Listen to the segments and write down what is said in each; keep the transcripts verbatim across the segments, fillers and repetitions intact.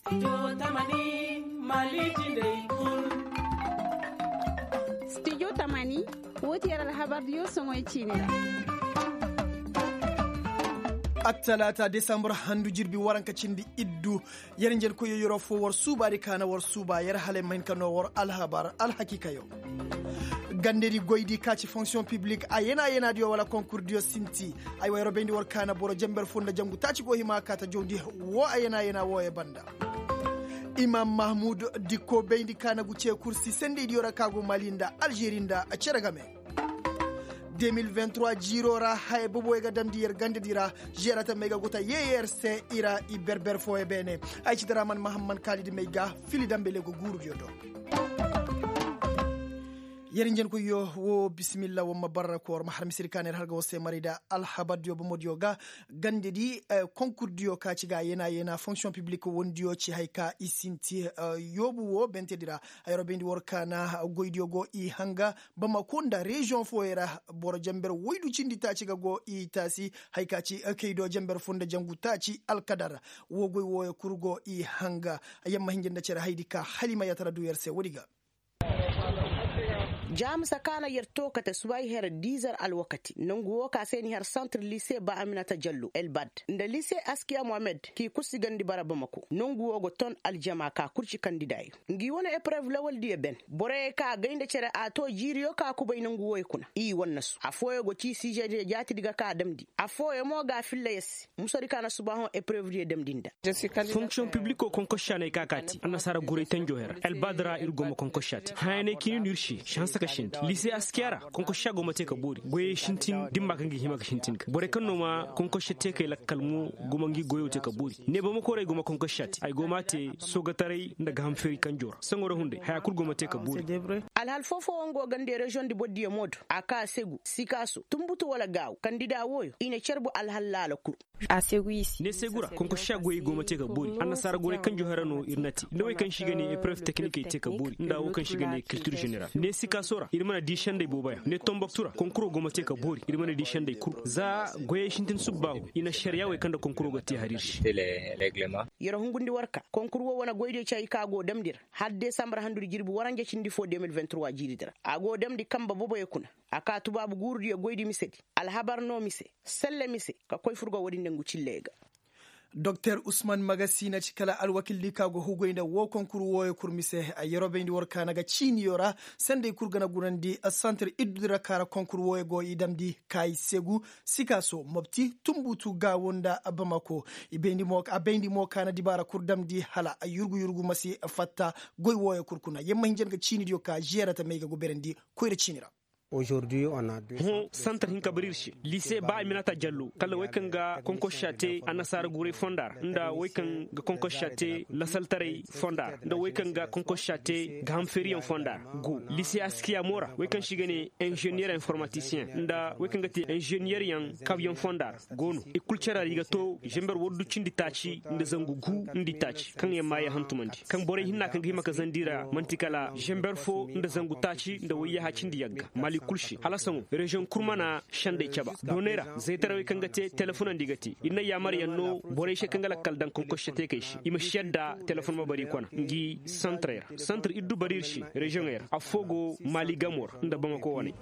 Studio tamani, wo ti yer alhabardiyo soŋoy ciini ra. Attalaata desambur handu jirbi waranka cindi iddu. Yer njenkoyyo yeroo foo war suubaadi ka na war suuba yer halay ma hin ka noo war alhabar alhakiikayo. Gandedi goydi ka ci fonksiyoŋ piblik a yana yanaadiyo wala konkurdiyo sinti. Ay wa yeroo bayndi war ka na boro jenber foo nda jangu taaci go hima ka ta jawndi. Woo a yana yana wooyo banda. Imam mahmud dikko bayndi ka na gu cee kursi sendeydiyo ra ka go mali nda alžeri nda cere game. De mil vingt trois jiiroo ra haya boboyo ga damndi yer gandedi ra. Žeera tamey ga go ta yee yer se i ra i berber fooyo beene. Ay ci daraman mahamman kaalidi may ga fili dambele go guurudiyo do. Yer njenkoyyo woo bisimilla war ma barra koor ma har misiri ka na yer har ga war se maray nda alhabardiyo bomodiyo ga. Gandedi konkurdiyo ka ci ga a yeena yeena fonksiyoŋ piblik wondiyo ci haya ka i sinti. Yoobu woo bentedi ra. Hayro bayndi war ka na goydiyo go i hanga bamako nda reziyoŋ fooyo ra. Boro jenber woydu cindi taaci ga go i taasi. Haya ka ci kaydo jenber foo nda jangu taaci alkadar. Woo goy wooyo kul go i hanga. Yamma hinja nda cere haydi ka hala i ma yaatara du yer se woodi ga. Jaamisa ka na yer too kate subahi her dizer alwakati nongu woo ka se ni har santir lise ba aminata jallo elbad nda lise askiya mohamed k'i kursi gandi bara bamako nongu woo go ton aljama ka kul ci kandidaayo. Ngi wane eprev lawaldiyo ben boroyo ka gay nda cere a too jiiriyo ka kubay nongu wooyo kuna i wannasu afooyo go ci siizediyo jaatidi ga ka damndi. Afooyo mo ga a filla yer se. Musadi ka na subaahoŋ eprevdiyo damndi nda. Fonksiyoŋ pibliko konkošša no ay ka kaati annasaara guray tanjo hera elbadra ir go ma konkošša te hayanay kini no ir se si hanse ka sindi lise askiya ra. Konkošša go ma te ka boori goyey sintin dimma kaŋ ga hima ga sintin ga borey kaŋ no ma konkošša te kay lakkal mo go ma ngi goyo te ka boori. Ne bamako ra ay go ma konkošša te ay go ma a te soogataray nda gahamfeeri kanjo ra saŋo ra hunday haya kul go ma te ka boori. Alhal foo foo wo nga wo gande reziyoŋ di bordiyo mo do a ka segu sikaaso tunbutu wala gaawu kandida wooyo i na carbu alhal laala kul. Ne segu ra konkošša goyey go ma te ka boori annasaara goray kaŋ johera no ir na te nda wey kaŋ se i ga ne eprev teknikey te ka boori nda wo kaŋ se i ga ne kiltir ženeral ne sikaaso ra ir mana di sendey booboyaŋ ne tomboktu ra konkuro go ma te ka boori ir mana di sendey kul za goyey sintin subbaahu i na šariya wey kaŋ nda konkuro ga te har ir se. Yer hungundi war ka konkur wo wane goydiyo ci hay ka go damndi ra hala desambar handudi jirbi waranja cindi foo de mil vingt trois jiiridi ra a go damndi kanba boboyo kuna. A ka tubaabu guurudiyo goydi misedi alhabar no mise selle mise ka koy furgo woodi nda ngu cilleyo ga. Doktor usman magasi na ci kala alwakildi ka go hugoy nda woo konkur wooyo kul mise. Yeroo bayndi war kaana ga ciiniyo ra sendey kul ga na gunandi santir iddudi ra ka ra konkur wooyo go i damndi kaayi segu sikaaso mopti tunbutu gaawo nda bamako. A bayndi mo kaana dibaara kul damndi hala yurgu yurgu ma si fatta. Goy wooyo kul kuna yer ma hinja nga ciinidiyo ka žeerata may ga go berandi koyra ciini ra. Hõ santar hinka bara ir se lise ba aminata jallo kala wey kaŋ ga konkossa te annasaara guray fonda ra nda wey kaŋ ga konkossa te lasaltaray fonda ra nda wey kaŋ ga konkossa te gahamfeeriyaŋ fonda ra go lise askiya mo ra wey kaŋ se i ga ne inženiyere informatisiyeŋ nda wey kaŋ ga te inženiyeryaŋ kabyaŋ fonda ra go no i kul care ra i ga to zember waddu cindi taaci nda zangu gu nda i taaci kaŋ yaŋ maaye hantumandi kaŋ borey hinna kaŋ ga hima ka zandi ra man'ti kala zember fo nda zangu taaci nda wayyaha cindi yagga mali kul se hala saŋo reziyoŋ kul mana sendey caba dooney ra zaytaray wey kaŋ ga te telefonandi ga te ir na yaamaryaŋ no borey se kaŋ ga lakkal daŋ konkosse teekey se i ma si yadda telefon ma bara i kona ngi santarey ra santar iddu bara ir se reziyoŋey ra affoo go mali gamo ra nda bamako waney.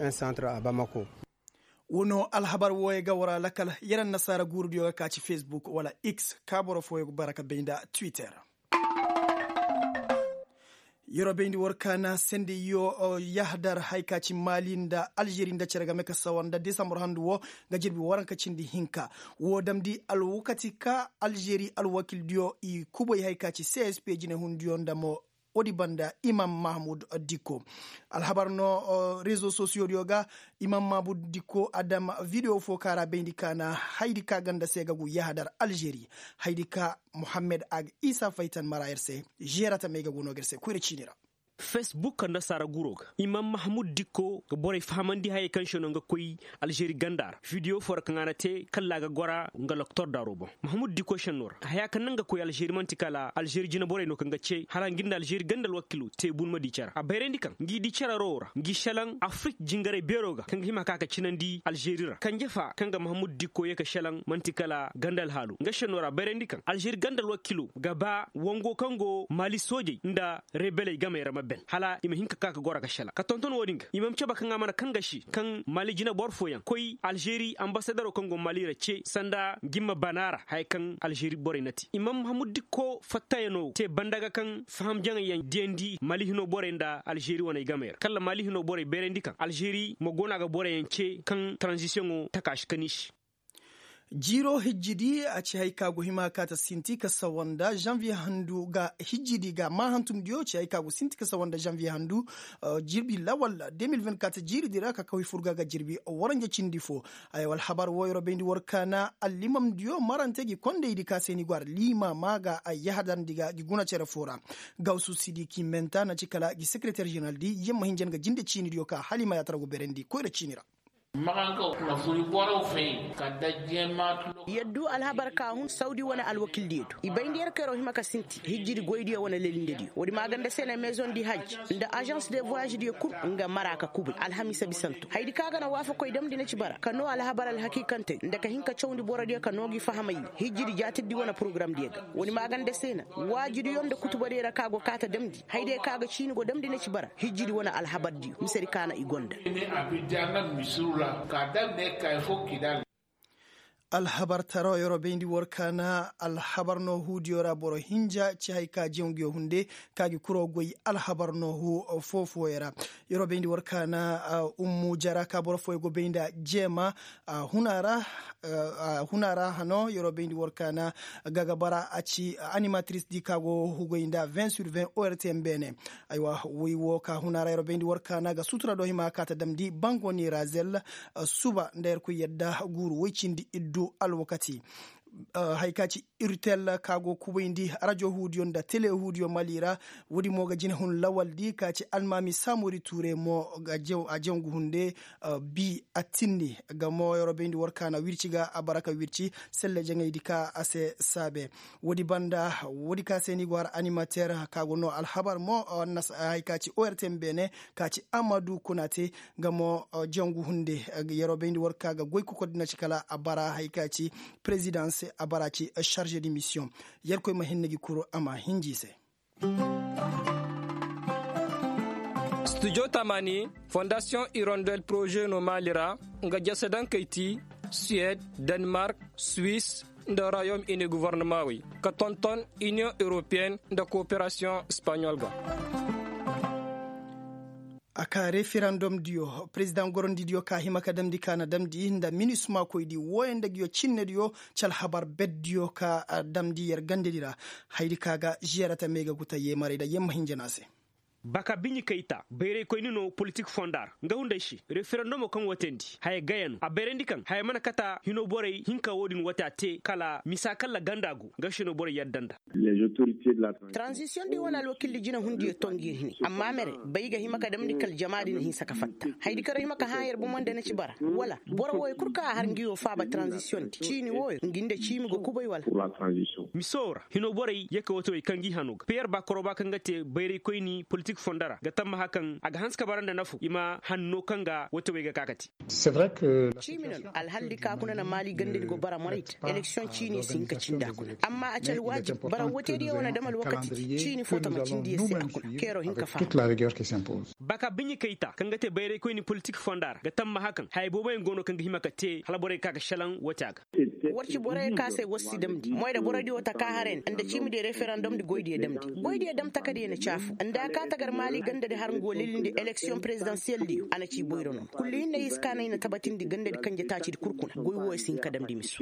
Wo no alhabar wooyo ga war a lakal yer annasaara guurudiyo ga ka ci fesbuk wala x ka boro fooyo ga bara ka bay nda twitter. Yeroo bayndi war kaana sendey yo yahdar hay ka ci mali nda alžeri nda cere game ka sawar nda desambur handu wo ga jirbi waranka cindi hinka. Woo damndi alwakati ka alžeri alwakildiyo i kubay hay ka ci csp jinehundiyo nda mo woodi banda imam mahmud dikko. Alhabar no rezo sosiyodiyo ga imam mahmud dikko a dam videwo fo ka ra bayndi kaana hayadi ka ganda se ga gu yahadar alžeri hayadi ka muhammed a ga isa faytan mara yer se. Žeerata may ga go no ga yer se koyra ciini ra. Fesbuk nda saara guroo ga imam mahamud dikko ga borey fahamandi hayey kaŋ se no nga koy alžeri ganda ra. Vidiyo foo ra kaŋ a na te kalla a ga gora nga loktor daaro boŋ. Mahamud dikko senno ra haya kaŋ naŋ ga koy alžeri man'ti kala alžeri jinaborey no kaŋ ga ce hala nga nda alžeri ganda alwakilo te bunma di care a bayrandi kaŋ ngi di care roo ra ngi selaŋ afrik jingaray beeroo ga kaŋ ga hima ka ka cinandi alžeri ra kanje fa kaŋ ga mahamud dikko ye ka selaŋ man'ti kala ganda alhaalo nga senno ra bayrandi kaŋ alžeri ganda alwakilo ga ba wango kaŋ go maali soojey nda rebeley gamey ra ma ben hala i ma hin ka ka ka goro ka selaŋ ka tonton wo-din ga i ma ma caba kaŋ a mana kaŋ ga se kaŋ maali jinaboro fooyaŋ koy alžeri ambasadaro kaŋ go maali ra ce sanda jimma bana ra haya kaŋ alžeri borey na te i ma ma hamuddikko fattayano te banda ga kaŋ faham jaŋayyaŋ diyandi maali hino borey nda alžeri waney gamey ra kala maali hino borey bayrandi kaŋ alžeri ma go no a ga boroyaŋ ce kaŋ taranzisiyoŋo taka si kani se. Jiiro hijjidi a ci hay ka go hima ka ta sinti ka sawanda janviye handu ga hijjidi ga ma hantumdiyo ci hay ka go sinti ka sawanda janviye handu. Jirbi lawal de mil vingt-quatre jiiridi ra ka kaway furga ga jirbi waranja cindi fo. Ay alhabar wo yeroo bayndi war kaana allimamdiyo marante gi kondaydi ka se ni go ara limaama ga ay yahadarndi ga gi guna cere fo ra. Gawsu sidiki menta na ci kala gi sekereter jeneraldi yamma hinjan ga jinde ciinidiyo ka hala i ma yaatara go berendi koyra ciini ra. Yaddu alhabar ka hun sawdi wane alwakildiyo do i bayndi yer kayroo hima ka sinti hijjidi goydiyo wane lelindediyo woodi maaganda se na mezondi hajj nda azans de voyajediyo kul nga mara ka kubay alhamiisa bisanto hayadi ka ga na waafakoy damndi na ci bara ka noo alhabar alhakiikantey nda ka hin ka cawndi borodiyo ka noo gi fahamay ne hijjidi jaatirdi wane porogaramdiyo ga woodi maaganda se na waajidiyo nda kutubadiyo ra ka go kaata damndi hayadiyo ka ga ciini go damndi na ci bara hijjidi wane alhabardiyo misedi ka na i gonda. Alhabar taro yeroo bayndi war kaana alhabar no huudiyo ra boro hinja ci hay ka jaŋ nguyo hunde ka gi kuroo goy alhabar no huu foo-fooyo ra. Yeroo bayndi war kaana ummu jara ka boro fooyo go bay nda jeema. Huna ra hano yeroo bayndi war kaana ga ga bara a ci animatrice di ka go hugay nda vingt sur vingt ortm beene. Aywa woy wo ka huna ra yeroo bayndi war kaana ga sutura do hima ka ta damndi bango ni razel suba nda yerkoy yadda guuru woy cindi iddu alwakati. Hay ka ci irtel ka go kubayndi rajo huudiyo nda tele huudiyo mali ra. Woodi mo ga jinehun lawaldi ka ci almaami saamori tuure mo a jangu hunde. Bi attinni ga mo yeroo bayndi war kaana wirci ga a bara ka wirci selle jaŋaydi ka a se saabe. Woodi banda woodi ka se ni go har animater ka go no alhabar mo hay ka ci ortm beene ka ci amadu kuna te. Nga mo jangu hunde yeroo bayndi war ka ga goy kokoy dina ci kala a bara hay ka ci prezidans a bara ci charge de mission. Yerkoy ma hinne gi kuru a ma hinji se. Studio tamani fondasiyoŋ irondel poroze no maali ra nga jase daŋ kay ti suwed, denmark, suwis, nda royaume uni govornamaawey ka tonton iniyoŋ europeyenne nda kooperasiyoŋ espaɲol ga. A ka referandom diyo perezidaŋ gorandi diyo ka hima ka damndi ka na damndi nda minisma koydi wooyaŋ nda nguyo cinne diyo ci alhabar bet diyo ka damndi yer gandedi ra. Hayadi ka ga ziyarata me ga guta yeemaray nda yemma hinja no a se. Baka biɲi kayta bayraykoyni no politik fonda ra nga hunday se referendomo kaŋ watandi haya gaya no a bayrandi kaŋ haya mana kata hino borey hinka wo-din wata te kala misa kalla ganda go nga se no borey yadda nda. Taranzisiyoŋ di wane alwakildi jinahundiyo to ngi hini amma mere bay ga hima ka damndi kala jama din hinsa ka fatta hayadi kaŋ ra hima ka hã yer bomo nda na ci bara wala boro wooyo kul kaŋ a har ngi wo faaba taranzisiyoŋ di ciini wooyo ngi nda ciimi go kubay wala. Miso ra hino borey ye ka watawey kaŋ gi hano ga piyer ba koroba kaŋ ga te bayraykoyni politik fonda ra ga tammaha kaŋ a ga hanse ka bara nda nafu i ma hanno kaŋ ga watawey ga ka ka te. Ciimi no no alhaldi ka kuna na maali gandadi go bara moray te eleksiyoŋ ciini si hin ka cindi a kuna amma a ci alwaajib bara wootediyo wane dam alwakati di ciini fo tama cindi yer se a kuna keeroo hin ka faham. Baka biɲi kayta kaŋ ga te bayraykoyni politik fonda ra ga tammaha kaŋ haya booboyaŋ go no kaŋ ga hima ka te hala borey ga ka ga šelaŋ woote a ga. War ci borey ka se war si damndi moy da borodiyo taka haren nda ciimi diyo referandom di goydiyo damndi goydiyo dam takadiyo na caafu nda a ka tagar maali gandadi har ngo lilindi eleksiyoŋ perezidansiyel diyo a na ci boyro no kullu hinne i si ka no i na tabatindi gandadi kanje taacidi kul kuna goy wooyo si hin ka damndi miso.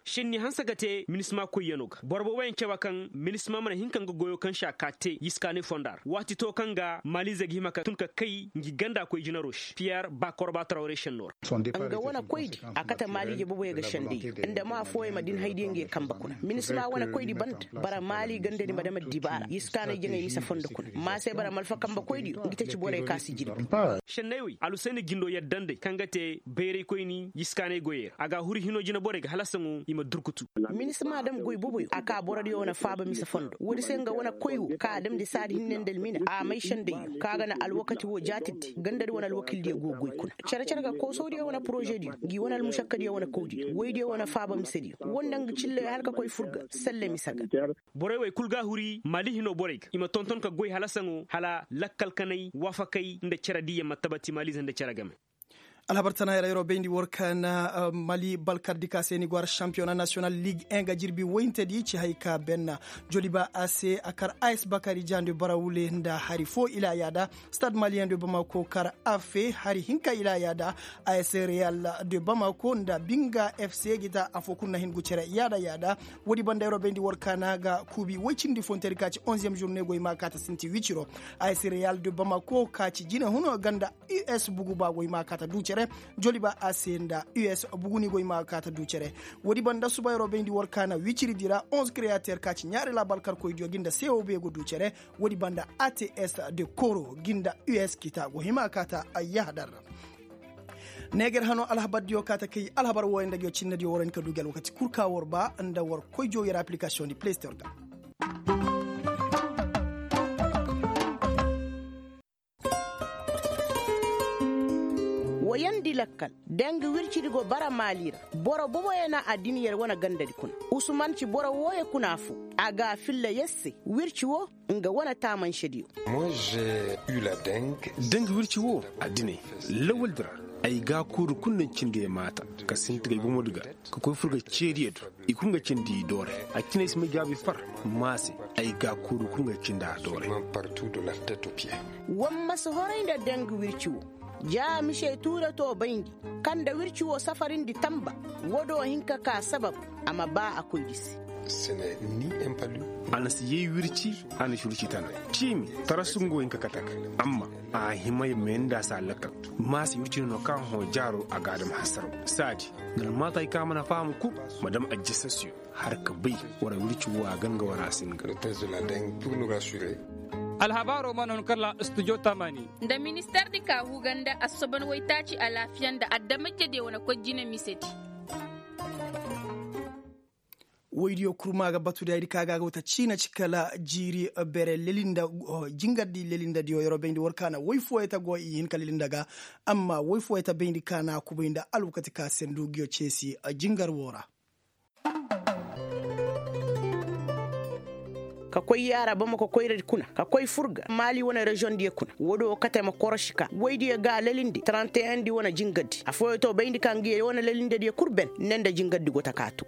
Šenni hanse ga te minisma koyyanoo ga boro booboyaŋ cabe kaŋ minisma mana hin ka nga goyoo kaŋ se a ka te yiskaanay fonda ra waati to kaŋ ga maaliizey ga hima ka tun ka kay ngi ganda koy jinaroo se piyer ba korba trawre šennoo ra. Nga wane koydi a kate maaliije booboyaŋ ga sendey nda ma fooyaŋ ma din haydiyaŋ ngi ye kambe kuna minisma wane koydi banda bara maali gandadi ma dam addibaara yiskaanay jaŋay mise fondo kuna ma se bara malfa kambe koydiyo ngi taci borey ka si jirbi. Šenney wey alhusayni jindo yadda nd'ey kaŋ ga te bayraykoyni yiskaanay goyey ra a ga a huru hinoo jina borey ga hala saŋo i ma durkutu. Minisma dam goy boboyo a ka borodiyo wane faaba mise fondo woodi se nga wane koy wo ka a damndi saadi hinne nda almina a may sendey yo ka ga na alwakati wo jaatirdi gandadi wane alwakildiyo go goy kuna cere-cere ga koosodiyo wane porozediyo ngi wane almušakkadiyo wane kawdiyo woydiyo wane faaba misediyo woo nda nga cilley hala ka koy fur ga selle mise ga. Borey wey kul ga a huri maali hinoo borey ga i ma tonton ka goy hala saŋo hala lakkal kanay waafakay nda cere diiyaŋ ma tabati maaliize nda cere game. Alhabar tana yer yeroo bayndi war ka na mali balkardi ka se ni go har šampiyona nasiyonal lig en ga jirbi woyintedi ci hay ka benna joliba a se a kar a s bakari jande barawule nda hari foo ila yaada stad maliyen de bamako kar a fe hari hinka ila yaada a s real de bamako nda binga f c gita afo kul na hin gu cere yaada yaada. Woodi banda yeroo bayndi war ka na ga kuubi woy cindi fontedi ka ci onziyem jurne goy ma kaata sinti wiciro a s real de bamako ka ci jine huno ganda u s bugu ba goy ma kaata du cere joliba a se nda u s bugu ni goy ma kaata du cere. Woodi banda suba yeroo bayndi war ka na wiciridi ra onze creater ka ci ɲaari laabal karkoydiyo gi nda c o b go du cere. Woodi banda a t s de koro gi nda u s kita go hima kaata yahadar ra. Neeger hano alhabardiyo kaata kay alhabar wooyo nda ngiyo cinnediyo war hin ka du gi alwakati kul ka war ba nda war koy joow yer application di play store ga. Woyandi lakkal deng wircidi go bara maali ra. Boro boboyaŋ na addiney yer wane gandadi kuna. Usman ci boro wooyo kuna foo a ga a filla yer se wirci woo nga wane taamansediyo. Deng wirci woo addiney lawaldi ra ay ga a kuuru kul na cindi ay maata ka sinti ga ay bomodi ga ka koy fur ga ceediyo do. I kul nga cindi i doore a cine ay si may jaabi far. Maase ay ga a kuuru kul nga cindi a doore. War ma si horay nda deng wirci woo ja misey tuure to bayndi kaŋ nda wirci woo safarindi tamba. Woodoo hin ka kaa sabab a ma baa a koydi se. A na si yay wirci a na si wirci tana ciimi tarasu nga wo hin ka kate ga amma a hima ya meenda se a lakkal. Maase wirci no no kaŋ hõ jaaroo a ga a dam hasaraw saadi. Nga na maata hay kaŋ a mana faham kul ma dam ajjasasiyo har ka bay wara wirci woo a ganga wara a si nga. Alhabaaroo mana hun kala studio tamaani. Nda ministeer di ka huga nda assoban waytaaci alaafiya nda adamajediyo wane koy jine misedi. Woydiyo kurma ga batu da ay di ka ga ga wata ciina ci kala jiiri bere lelinda jingardi lelindadiyo yeroo bayndi war ka na woy fooyey ta go i hin ka lelinda ga. Amma woy fooyey ta bayndi ka na a kubay nda alwakati ka se ndugiyo ceesi jingar woo ra. Ka koy yaara bamako koyradi kuna ka koy fur ga maali wane reziyoŋ diyo kuna woodi wo kate ma korosi ka woydiyo ga a lalindi taranteyaŋ di wane jingardi affooyo to bayndi ka ngiyo wane lalindediyo kul ben ne nda jingardi go ta ka to.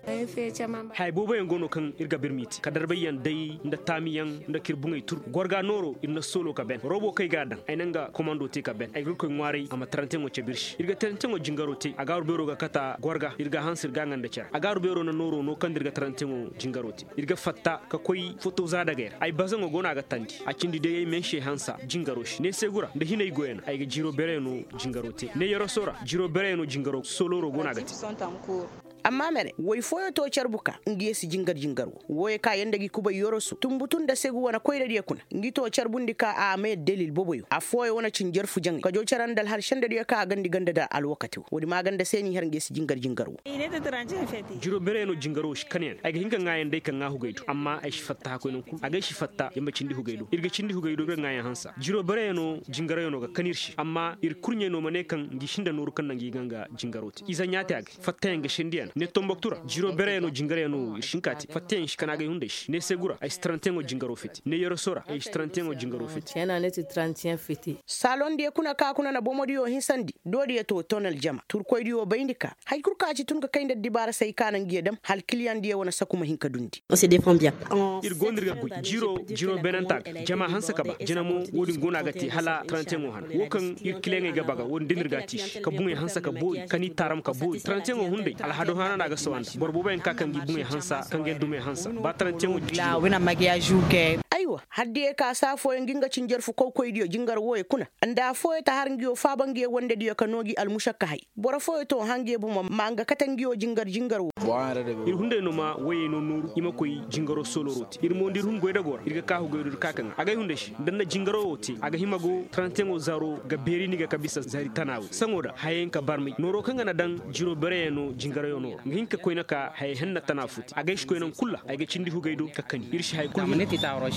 Haya booboyaŋ go no kaŋ ir ga birmiti ka darbayyaŋ day nda taamiyaŋ nda kir buŋey tur gorga nooro ir na soolo ka ben robo kaŋ ay ga a daŋ ay na nga komando te ka ben ay ga ir koy ŋwaaray a ma taranteyaŋo cabe ir se ir ga taranteyaŋo jingaro te a gaaru beero ga kata gorga ir ga a hanse ir ga a ŋa nda care a gaaru beero na nooro no kaŋ nda ir ga taranteyaŋo jingaro te. Ir ga fatta ka koy foto za dagay ra ay bazaŋo go no a ga tandi a cindi day ay mense hansa jingaro se ne seegu ra nda hinay goyano ay ga jiro bereyaŋo jingaro te ne yaraso ra jiro bereyaŋo jingaro soloro go no a ga te. Amma mere woy fooyo to carbu ka ngi ye si jingar jingar wo wooyo ka yanda gi kubay yoroso tumbutu nda segu wane koyradiyo kuna ngi to carbundi ka a ma yadda dalil boboyo affooyo wane cinjarfu jaŋay kajo care nda alhal sendadiyo ka a gandi ganda da alwakati wo woodi ma ganda se n'i har ngi ye si jingar jingar wo. Jiro bereyaŋo jingaro si kanayaŋ ay ga hin ka ŋaayaŋ day ka ŋaa hugay do amma ay si fatta hakkoy naŋ kulu a ga ay si fatta yamba cindi hugay do ir ga cindi hugay do ir ga ŋaayaŋ hansa jiro bereyaŋo jingarayaŋo ga kan ir se amma ir kurɲey no ma ne kaŋ ngi sinda nooru kaŋ naŋ ngi ga nga jingaro te ize ɲaate a ga fattayaŋ ga sendiyana ne tomboktu ra jiro bereyaŋo jingarayaŋo ir si hin ka te fattayaŋ si kan a ga ay hunday se ne seegu ra ay si tarantiyaŋo jingaro fiti ne yoroso ra ay si tarantiyaŋo jingaro fiti. Saalondiyo kuna ka kuna na bomodiyo hinsandi doodiyo to ton aljama turkoydiyo bayndi ka haya kul ka ci tun ka kay nda addibaara se ay ka na ngiyo dam hala kiliyaŋdiyo wane saku ma hin ka dundi. Ir go no ir ga goy jiro jiro beenanta ga jama hanse ka ba jina mo wo-din go no a ga te hala tarantiyaŋo hana wo kaŋ ir kiliyaŋey ga ba ga wo-din da no ir ga a te i se ka buŋey hanse ka boori ka ni taaram ka boori tarantiyaŋo hunday alhado. Maana na a ga sawa nda boro booboyaŋ ka kaŋ ga i buŋey hansa kaŋ ga yaŋ dumey hansa ba tarantiyaŋo. Aywa, haddiyey ka saa fooyaŋ ga nga ci njarfu kawkoydiyo jingar wooyey kuna, nda afooyey ta har nguyo faaba nguyo wandediyo ka noo gi almušakkahay. Boro fooyey to hã nguyo bomo ma nga kate nguyo jingar jingar woo. Ir hunday no ma woyey no nooru i ma koy jingaro sooloro te ir mo nda ir hun goydagoo ra ir ga kaahu goydo ir ka kaŋ a ga ay hunday se nda nda jingaro woo te a ga hima go tarantiyaŋo zaaro ga beeri ni ga ka bisa zaari tana woo saŋo da hayey nka barmay nooro kaŋ ga na daŋ jiro bereyaŋ no jingarayaŋ no ra nga hin ka koyne ka hayey henna tana foo te a ga ay si koy naŋ kul ra ay ga cindi hugey do ka kani ir si hay kul.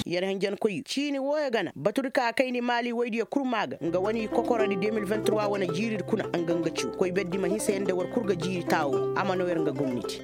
Yer henjenkoy ciini wooyo gana batudi ka kayndi maali woydiyo kul maa ga nga wane kokorodi de mil vingt trois wane jiiridi kuna nga nga ciw koy berdi ma hinsa yer nda war kul ga jiiri taawo a ma noo yer nga gomnati.